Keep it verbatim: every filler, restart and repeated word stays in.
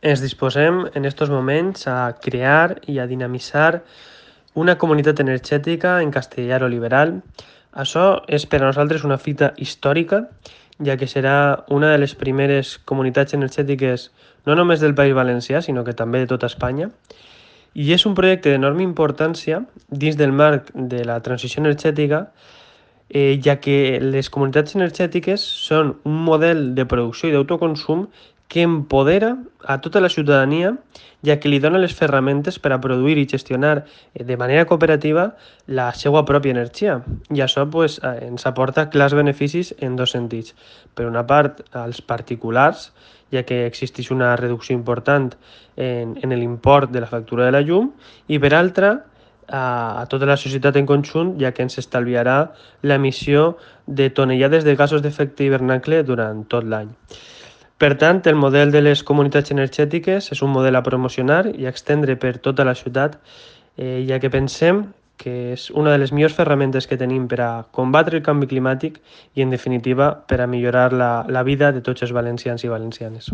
Ens disposem en estos moments a crear i a dinamitzar una comunitat energètica en castellar-o-liberal. Això és per a nosaltres una fita històrica, ja que serà una de les primeres comunitats energètiques no només del País Valencià, sinó que també de tota Espanya. I és un projecte d'enorme importància dins del marc de la transició energètica, eh, ja que les comunitats energètiques són un model de producció i d'autoconsum que empodera a tota la ciutadania, ja que li dona les ferramentes per a produir i gestionar eh, de manera cooperativa la seva pròpia energia. I això pues, eh, ens aporta clars beneficis en dos sentits. Per una part, als particulars, ja que existeix una reducció important en, en l'import de la factura de la llum, i per altra, a, a tota la societat en conjunt, ja que ens estalviarà l'emissió de tonellades de gasos d'efecte hivernacle durant tot l'any. Per tant, el model de les comunitats energètiques és un model a promocionar i a extendre per tota la ciutat, eh, ja que pensem que és una de les millors ferramentes que tenim per a combatre el canvi climàtic i, en definitiva, per a millorar la, la vida de tots els valencians i valencianes.